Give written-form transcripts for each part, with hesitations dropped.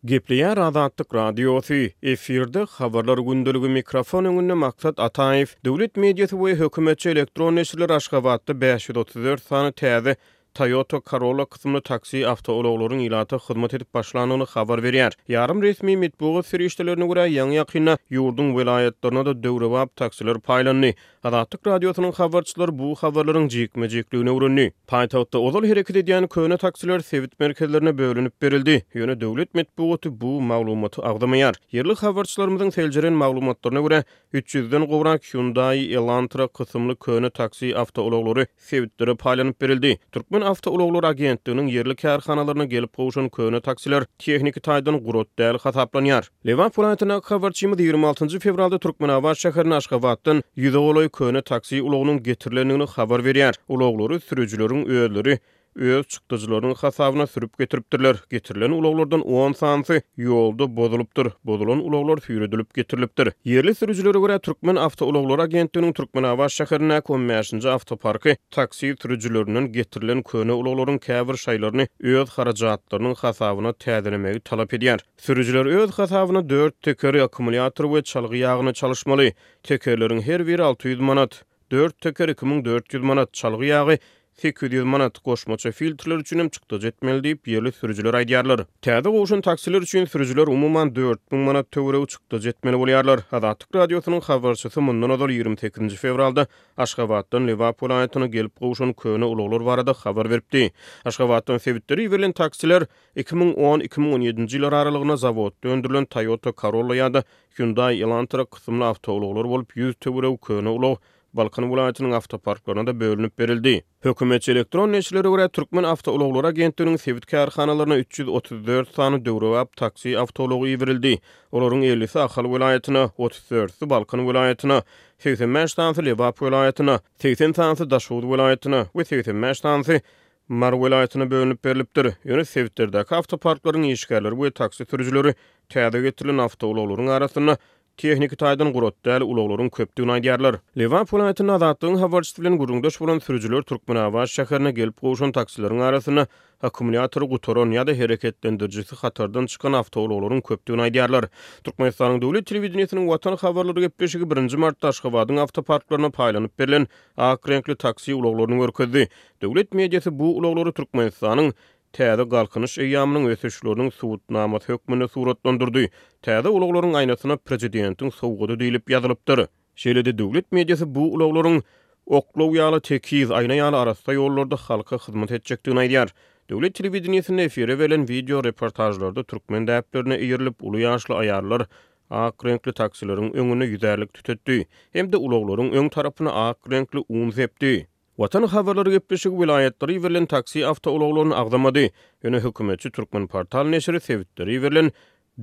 Gepleýär Azatlyk Radiosy, efirde Habarlar gündeligi mikrofon öňünde Maksat Ataýew. Döwlet mediasy we hökümetçi elektron neşirler Aşgabatda 534 sany täze Toyota Corolla kysymly taksi awtoulaglaryň ilata hyzmat edip başlandygyny habar berýär. Ýarym resmi metbugat serişdelerine görä, ýaňy-ýakynda ýurduň welaýatlaryna-da döwrebap taksiler paýlandy. Azatlyk Radiosynyň habarçylary bu habarlaryň jikme-jikligini öwrendi. Paýtagtda ozal hereket edýän köne taksiler sebit merkezlerine bölünip berildi. Ýöne döwlet metbugaty bu maglumaty agzamaýar. Ýerli habarçylarymyzyň seljeren maglumatlaryna görä, üç ýüzden gowrak Hyundai Elantra kysymly köne taksi awtoulaglary sebitlere paýlanyp berildi. Türkmen awtoulaglary agentliginiň ýerli kärhanalaryna gelip gowşan köne taksiler tehniki taýdan gurat däl hasaplanýar. Lebap welaýatyndaky habarçymyz 26 njy fewralda Türkmenabat şäherine Aşgabatdan ýüze golaý köne taksi ulagynyň getirilendigini habar berýär. Ulaglary sürüjileriň özleri öz çykdajylarynyň hasabyna sürüp getiripdirler. Getirilen ulaglardan on sanysy ýolda bozulypdyr. Bozulan ulaglar süýredilip getirilipdir. Ýerli sürüjilere görä, Türkmen awtoulaglary agentliginiň Türkmenabat şäherindäki on bäşinji awtoparky taksi sürüjilerinden getirilen köne ulaglaryň käbir şaýlaryny öz harajatlarynyň hasabyna täzelemegi talap edýär. Sürüjiler öz hasabyna dört tekeri, akkumulýator we çalgy ýagyny çalyşmaly. Tekerleriň her biri 600 manat. Dört teker 2400 manat, çalgy ýagy 800 manat, goşmaça filtrler üçin hem çykdajy etmeli diýip, ýerli sürüjiler aýdýarlar. Täze gowşan taksiler üçin sürüjiler umuman 4000 manat töweregi çykdajy etmeli bolýarlar. Azatlyk Radiosynyň habarçysy mundan ozal 28 fewralda Aşgabatdan Lebap welaýatyna gelip gowşan köne ulaglar barada habar beripdi. Aşgabatdan sebitlere iberilen taksiler 2010, 2017-nji ýyllar aralygynda zawodda öndürilen Toyota Corolla ýa-da Hyundai Elantra kysymly awtoulaglar bolup, 100 töweregi köne ulag Balkan welaýatynyň awtoparklaryna-da bölünip berildi. Hökümetçi elektron neşirlere görä, Türkmen awtoulaglary agentliginiň sebit kärhanalaryna 334 sany döwrebap taksi awtoulagy iberildi. Olaryň ellisi Ahal welaýatyna, otuz dördüsi Balkan welaýatyna, 85 sanysy Lebap welaýatyna, 80 sanysy Daşoguz welaýatyna we 85 sanysy Mary welaýatyna bölünip berlipdir. Ýöne sebitlerdäki awtoparklaryň işgärleri we taksi sürüjileri täze getirilen awtoulaglaryň arasynda tehniki taýdan gurat däl ulaglaryň köpdügini aýdýarlar. Lebap welaýatynda Azatlygyň habarçysy bilen gürrüňdeş bolan sürüjiler Türkmenabat şäherine gelip gowşan taksileriň arasynda akkumulýatory gutaran ýa-da hereketlendirijisi hatardan çykan awtoulaglaryň köpdügini aýdýarlar. Türkmenistanyň döwlet telewideniýesiniň Watan habarlary gepleşigi birinji martda Aşgabadyň awtoparklaryna paýlanyp berlen ak reňkli taksi ulaglaryny görkezdi. Döwlet mediasy bu ulaglary Türkmenistanyň Täze Galkynyş eýýamynyň ösüşleriniň subutnamasy hökmünde suratlandyrdy. Täze ulaglaryň aýnasyna Prezidentiň sowgady diýlip ýazylypdyr. Şeýle-de döwlet mediasy bu ulaglaryň oklaw ýaly tekiz, aýna ýaly arassa ýollarda halka hyzmat etjekdigini aýdýar. Döwlet telewideniýesinde efire berlen wideo reportažlarda türkmen däplerine eýerilip, uly ýaşly aýallar ak reňkli taksileriň öňünde ýüzärlik tütetdi hem-de ulaglaryň öň tarapyna ak reňkli un sepdi. Watan habarlary gepleşigi welaýatlara iberilen taksi awtoulaglaryny agzamady. Ýöne hökümetçi Türkmenportal neşiri sebitlere iberilen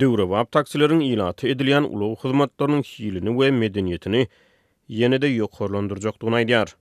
döwrebap taksileriň ilata edilýän ulag hyzmatlarynyň hilini we medeniýetini ýene-de ýokarlandyrjakdygyny aýdýar.